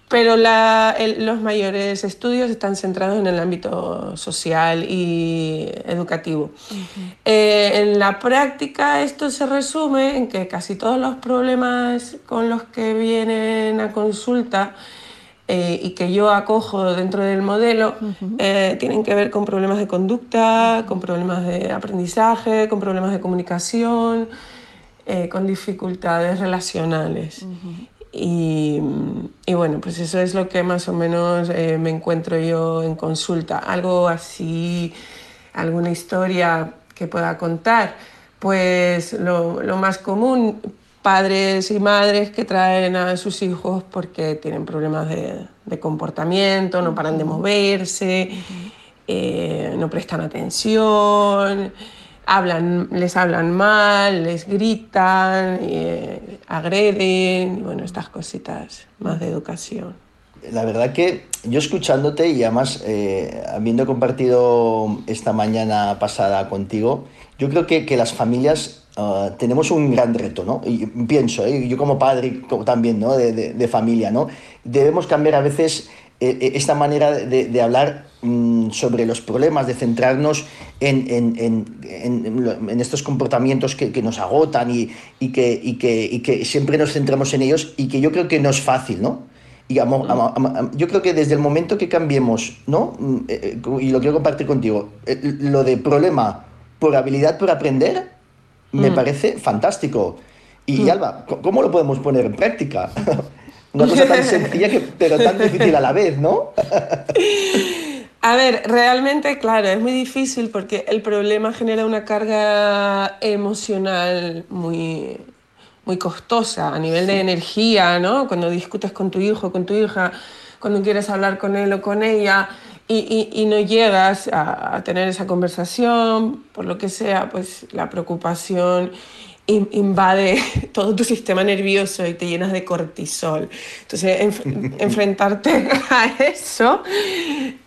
pero los mayores estudios están centrados en el ámbito social y educativo. En la práctica esto se resume en que casi todos los problemas con los que vienen a consulta y que yo acojo dentro del modelo tienen que ver con problemas de conducta, con problemas de aprendizaje, con problemas de comunicación, con dificultades relacionales. Y bueno, pues eso es lo que más o menos me encuentro yo en consulta. Algo así, alguna historia que pueda contar. Pues lo más común, padres y madres que traen a sus hijos porque tienen problemas de comportamiento, no paran de moverse, no prestan atención, les hablan mal, les gritan, agreden, bueno, estas cositas más de educación. La verdad que yo escuchándote y además habiendo compartido esta mañana pasada contigo, yo creo que las familias tenemos un gran reto, ¿no? Y pienso, yo como padre también, ¿no? de familia, ¿no? Debemos cambiar a veces esta manera de hablar sobre los problemas, de centrarnos en estos comportamientos que nos agotan y que siempre nos centramos en ellos y que yo creo que no es fácil, ¿no? Y yo creo que desde el momento que cambiemos, ¿no? Y lo quiero compartir contigo, lo de problema por habilidad por aprender me parece fantástico. Y Alba, ¿cómo lo podemos poner en práctica? Una cosa tan sencilla pero tan difícil a la vez, ¿no? A ver, realmente, claro, es muy difícil porque el problema genera una carga emocional muy, muy costosa a nivel de energía, ¿no? Cuando discutes con tu hijo, con tu hija, cuando quieres hablar con él o con ella y no llegas a tener esa conversación, por lo que sea, pues la preocupación invade todo tu sistema nervioso y te llenas de cortisol. Entonces, enfrentarte a eso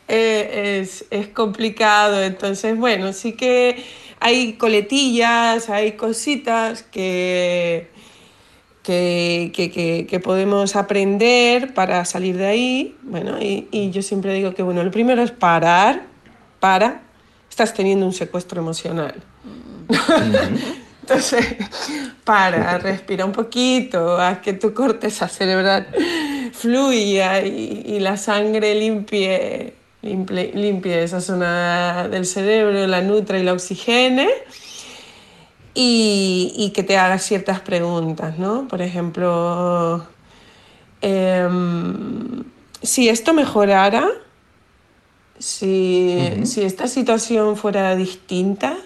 es complicado. Entonces, bueno, sí que hay coletillas, hay cositas que podemos aprender para salir de ahí. Bueno, y yo siempre digo que, bueno, lo primero es estás teniendo un secuestro emocional. Entonces, respira un poquito, haz que tu corteza cerebral fluya y la sangre limpie esa zona del cerebro, la nutra y la oxigene y que te hagas ciertas preguntas, ¿no? Por ejemplo, si esto mejorara, si esta situación fuera distinta,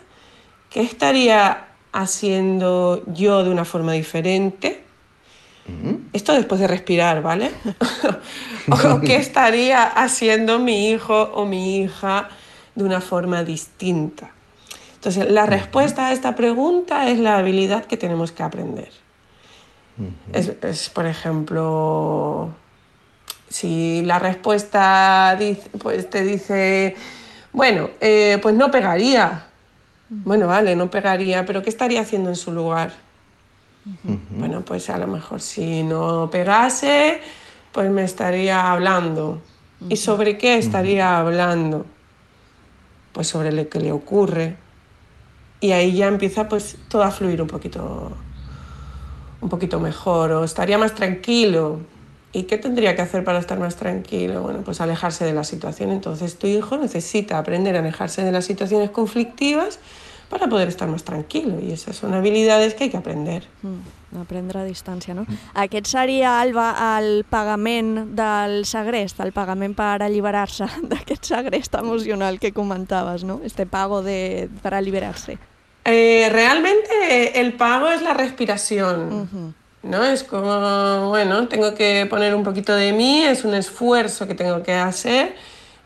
¿qué estaría haciendo yo de una forma diferente? Esto después de respirar, ¿vale? ¿O qué estaría haciendo mi hijo o mi hija de una forma distinta? Entonces, la respuesta a esta pregunta es la habilidad que tenemos que aprender. Es por ejemplo, Si la respuesta pues te dice, bueno, pues no pegaría. Bueno, vale, no pegaría, pero ¿qué estaría haciendo en su lugar? Bueno, pues a lo mejor si no pegase, pues me estaría hablando. ¿Y sobre qué estaría hablando? Pues sobre lo que le ocurre. Y ahí ya empieza pues todo a fluir un poquito mejor, o estaría más tranquilo. ¿Y qué tendría que hacer para estar más tranquilo? Bueno, pues alejarse de la situación. Entonces tu hijo necesita aprender a alejarse de las situaciones conflictivas para poder estar més tranquil, i esas son habilidades que hay que aprender. Aprendre a distància, no? Aquest seria, Alba, el pagament del segrest, el pagament per alliberar-se d'aquest segrest emocional que comentaves, ¿no? Este pago para liberarse. Realmente el pago es la respiración, ¿no? Es como, bueno, tengo que poner un poquito de mí, es un esfuerzo que tengo que hacer,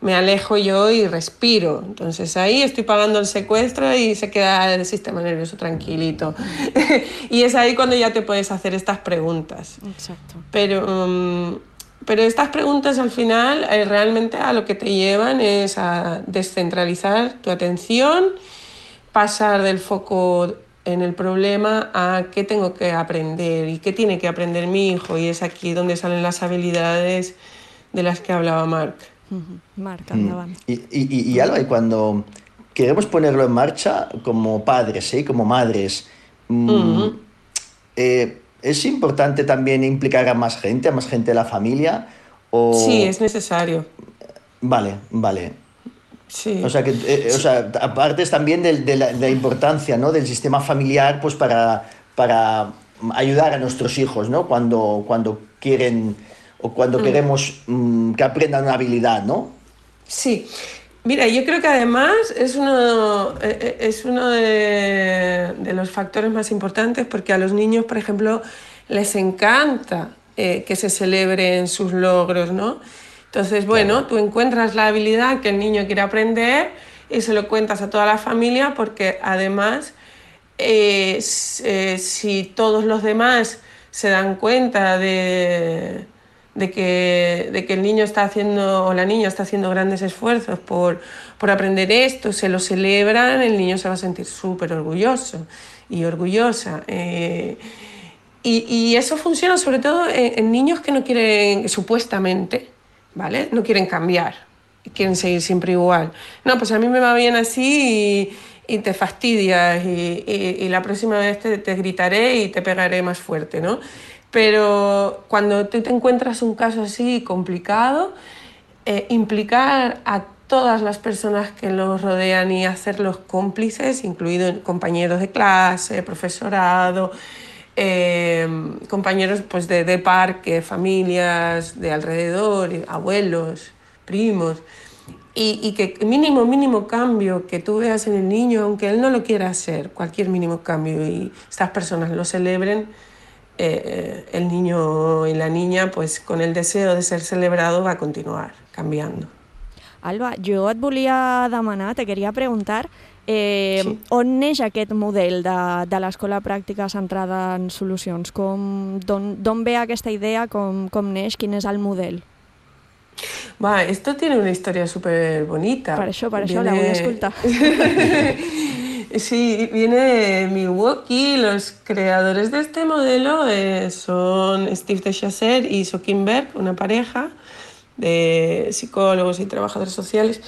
me alejo yo y respiro. Entonces ahí estoy pagando el secuestro y se queda el sistema nervioso tranquilito. Y es ahí cuando ya te puedes hacer estas preguntas. Exacto. Pero estas preguntas al final realmente a lo que te llevan es a descentralizar tu atención, pasar del foco en el problema a qué tengo que aprender y qué tiene que aprender mi hijo. Y es aquí donde salen las habilidades de las que hablaba Marc. Marc, endavant. Y Alba, y cuando queremos ponerlo en marcha como padres, como madres, ¿es importante también implicar a más gente de la familia? O... Sí, es necesario. Vale. Sí. O sea, aparte también de la importancia, ¿no?, del sistema familiar, pues para ayudar a nuestros hijos, ¿no?, cuando quieren o cuando queremos que aprendan una habilidad, ¿no? Sí. Mira, yo creo que además es uno de los factores más importantes, porque a los niños, por ejemplo, les encanta que se celebren sus logros, ¿no? Entonces, bueno, tú encuentras la habilidad que el niño quiere aprender y se lo cuentas a toda la familia, porque además, si todos los demás se dan cuenta de que el niño está haciendo, o la niña está haciendo grandes esfuerzos por aprender esto, se lo celebran, el niño se va a sentir súper orgulloso y orgullosa. Y eso funciona sobre todo en niños que no quieren, supuestamente, ¿vale?, no quieren cambiar, quieren seguir siempre igual. No, pues a mí me va bien así y te fastidias y la próxima vez te gritaré y te pegaré más fuerte, ¿no? Pero cuando tú te encuentras un caso así complicado, implicar a todas las personas que los rodean y hacerlos cómplices, incluidos compañeros de clase, profesorado, compañeros pues de parque, familias de alrededor, abuelos, primos, y que mínimo cambio que tú veas en el niño, aunque él no lo quiera hacer, cualquier mínimo cambio, y estas personas lo celebren, el niño y la niña, pues con el deseo de ser celebrado, va a continuar canviando. Alba, jo et volia demanar, te queria preguntar, on neix aquest model de l'escola pràctica centrada en solucions? D'on ve aquesta idea, com neix, quin és el model? Esto tiene una historia súper bonita. Per això la vull escoltar. Sí, viene de Milwaukee. Los creadores de este modelo son Steve DeChasser y Sokin Berg, una pareja de psicólogos y trabajadores sociales,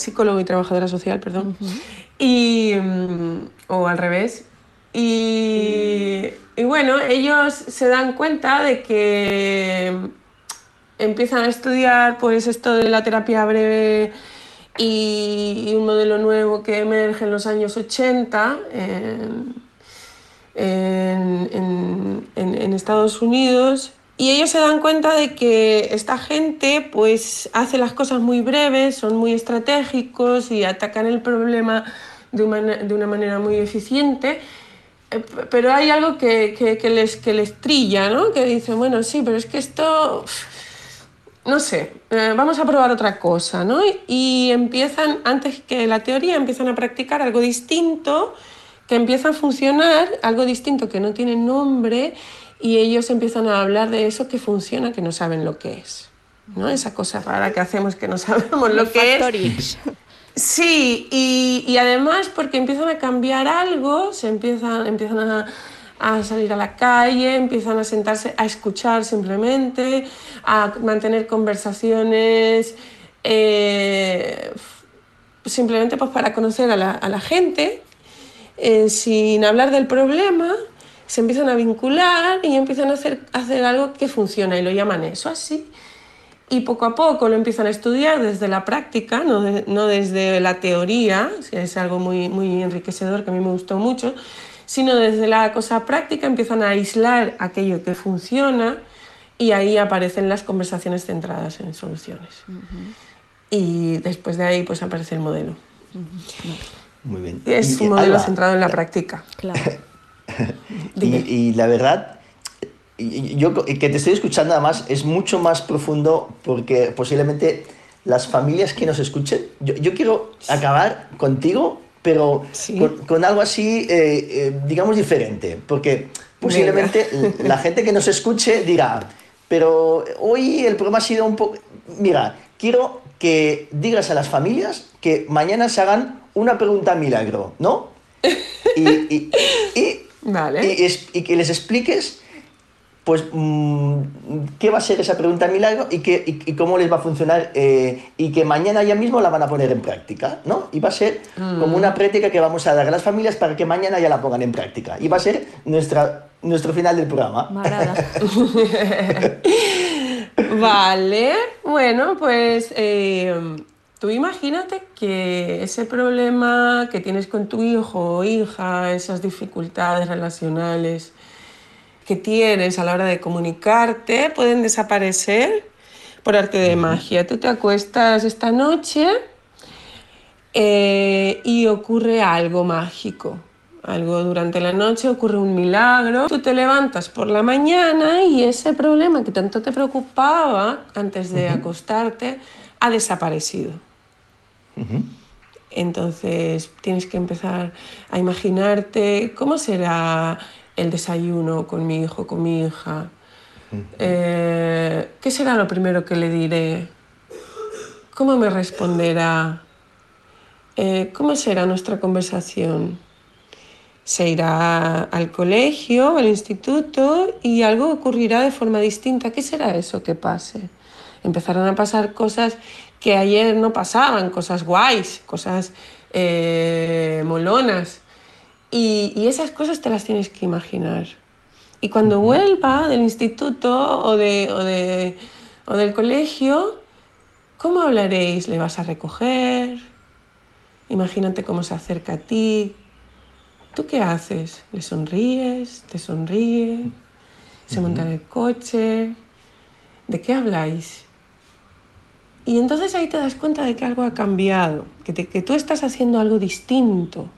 psicólogo y trabajadora social, perdón, o al revés. Y bueno, ellos se dan cuenta de que empiezan a estudiar pues esto de la terapia breve y un modelo nuevo que emerge en los años 80 en Estados Unidos, y ellos se dan cuenta de que esta gente pues hace las cosas muy breves, son muy estratégicos y atacan el problema de una manera muy eficiente, pero hay algo que les trilla, ¿no? Que dicen, bueno, sí, pero es que esto... no sé, vamos a probar otra cosa, ¿no? Y empiezan, antes que la teoría, empiezan a practicar algo distinto, que empieza a funcionar, algo distinto que no tiene nombre y ellos empiezan a hablar de eso que funciona, que no saben lo que es, ¿no? Esa cosa rara que hacemos que no sabemos lo que es. Sí, y además porque empiezan a cambiar algo, empiezan a salir a la calle, empiezan a sentarse a escuchar simplemente, a mantener conversaciones simplemente pues para conocer a la gente, sin hablar del problema. Se empiezan a vincular y empiezan a hacer algo que funciona y lo llaman eso así. Y poco a poco lo empiezan a estudiar desde la práctica, no desde la teoría, es algo muy, muy enriquecedor que a mí me gustó mucho, sino desde la cosa práctica empiezan a aislar aquello que funciona y ahí aparecen las conversaciones centradas en soluciones. Y después de ahí pues aparece el modelo. Muy bien. Es un modelo centrado en la práctica. Claro. Y la verdad, yo que te estoy escuchando además es mucho más profundo porque posiblemente las familias que nos escuchen, yo quiero acabar contigo, pero con algo así, digamos, diferente, porque posiblemente la gente que nos escuche dirá, pero hoy el programa ha sido un poco... Mira, quiero que digas a las familias que mañana se hagan una pregunta milagro, ¿no? Vale. Y que les expliques pues qué va a ser esa pregunta milagro y cómo les va a funcionar y que mañana ya mismo la van a poner en práctica, ¿no? Y va a ser como una práctica que vamos a dar a las familias para que mañana ya la pongan en práctica. Y va a ser nuestro final del programa. M'agrada. Vale, bueno, pues tú imagínate que ese problema que tienes con tu hijo o hija, esas dificultades relacionales que tienes a la hora de comunicarte, pueden desaparecer por arte de magia. Tú te acuestas esta noche y ocurre algo mágico. Algo durante la noche, ocurre un milagro. Tú te levantas por la mañana y ese problema que tanto te preocupaba antes de acostarte ha desaparecido. Entonces tienes que empezar a imaginarte cómo será el desayuno con mi hijo, con mi hija. ¿Qué será lo primero que le diré? ¿Cómo me responderá? ¿Cómo será nuestra conversación? Se irá al colegio, al instituto y algo ocurrirá de forma distinta. ¿Qué será eso que pase? Empezarán a pasar cosas que ayer no pasaban, cosas guays, cosas molonas. Y esas cosas te las tienes que imaginar. Y cuando vuelva del instituto o del colegio, ¿cómo hablaréis? ¿Le vas a recoger? Imagínate cómo se acerca a ti. ¿Tú qué haces? ¿Le sonríes? ¿Te sonríe? ¿Se monta en el coche? ¿De qué habláis? Y entonces ahí te das cuenta de que algo ha cambiado, que tú estás haciendo algo distinto.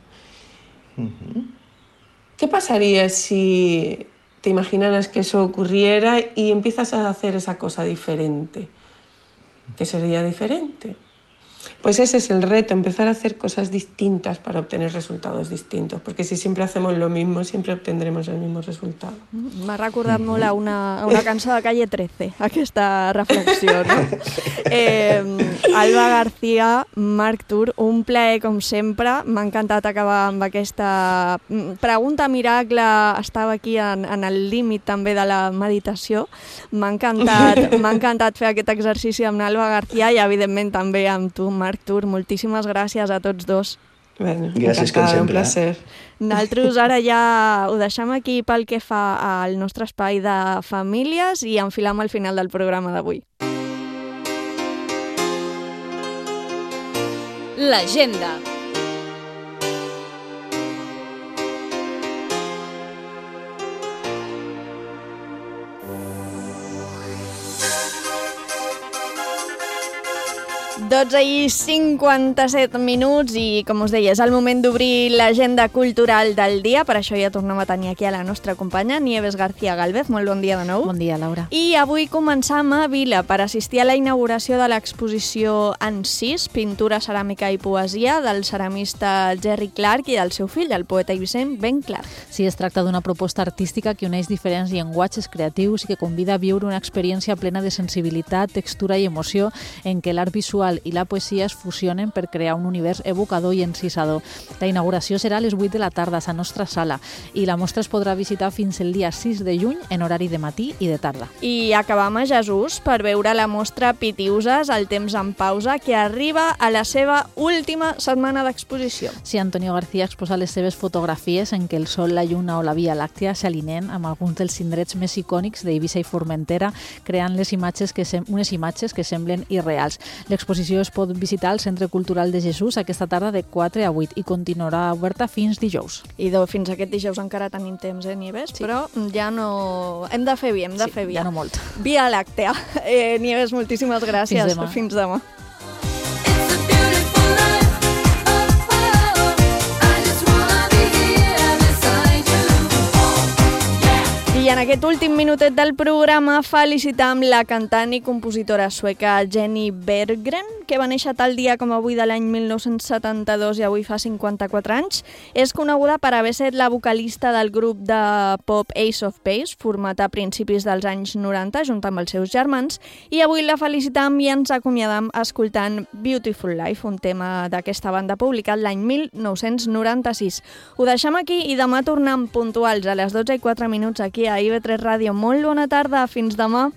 ¿Qué pasaría si te imaginaras que eso ocurriera y empiezas a hacer esa cosa diferente? ¿Qué sería diferente? Pues ese es el reto, empezar a hacer cosas distintas para obtener resultados distintos, perquè si sempre hacemos lo mismo, siempre obtendremos el mismo resultado. M'ha recordat molt a una cançó de Calle 13, aquesta reflexió, no? Alba García, Marc Tur, un plaer com sempre. M'ha encantat acabar amb aquesta pregunta miracle. Estava aquí en el límit també de la meditació. M'ha encantat fer aquest exercici amb Alba García i evidentment també amb tu, Marc Tur. Moltíssimes gràcies a tots dos. Bueno, gràcies, com sempre. Un placer. Nosaltres ara ja ho deixem aquí pel que fa al nostre espai de famílies i enfilam al final del programa d'avui. L'agenda. 12:57 i, com us deia, és el moment d'obrir l'agenda cultural del dia. Per això ja tornem a tenir aquí a la nostra companya, Nieves García Gálvez. Molt bon dia de nou. Bon dia, Laura. I avui començam a Vila per assistir a la inauguració de l'exposició Encís, pintura, ceràmica i poesia, del ceramista Jerry Clark i del seu fill, el poeta eivissenc Ben Clark. Sí, es tracta d'una proposta artística que uneix diferents llenguatges creatius i que convida a viure una experiència plena de sensibilitat, textura i emoció en què l'art visual i la poesia es fusionen per crear un univers evocador i encisador. La inauguració serà a les 8 de la tarda a la nostra sala i la mostra es podrà visitar fins el dia 6 de juny en horari de matí i de tarda. I acabam a Jesús per veure la mostra Pitiuses, el temps en pausa, que arriba a la seva última setmana d'exposició. Sí, Antonio García exposa les seves fotografies en què el sol, la lluna o la Via Làctea s'alineen amb alguns dels indrets més icònics d'Eivissa i Formentera, creant unes imatges que semblen irreals. L'exposició es pot visitar al Centre Cultural de Jesús aquesta tarda de 4 a 8 i continuarà oberta fins dijous. I fins aquest dijous encara tenim temps, Nieves? Sí. Però ja no... Hem de fer via, ja no molt. Via Làctea. Nieves, moltíssimes gràcies. Fins demà. I en aquest últim minutet del programa felicitam la cantant i compositora sueca Jenny Berggren, que va néixer tal dia com avui de l'any 1972 i avui fa 54 anys. És coneguda per haver estat la vocalista del grup de pop Ace of Base, format a principis dels anys 90, junt amb els seus germans, i avui la felicitam i ens acomiadam escoltant Beautiful Life, un tema d'aquesta banda publicat l'any 1996. Ho deixem aquí i demà tornem puntuals a les 12:04 aquí a IB3 Ràdio. Molt bona tarda, fins demà.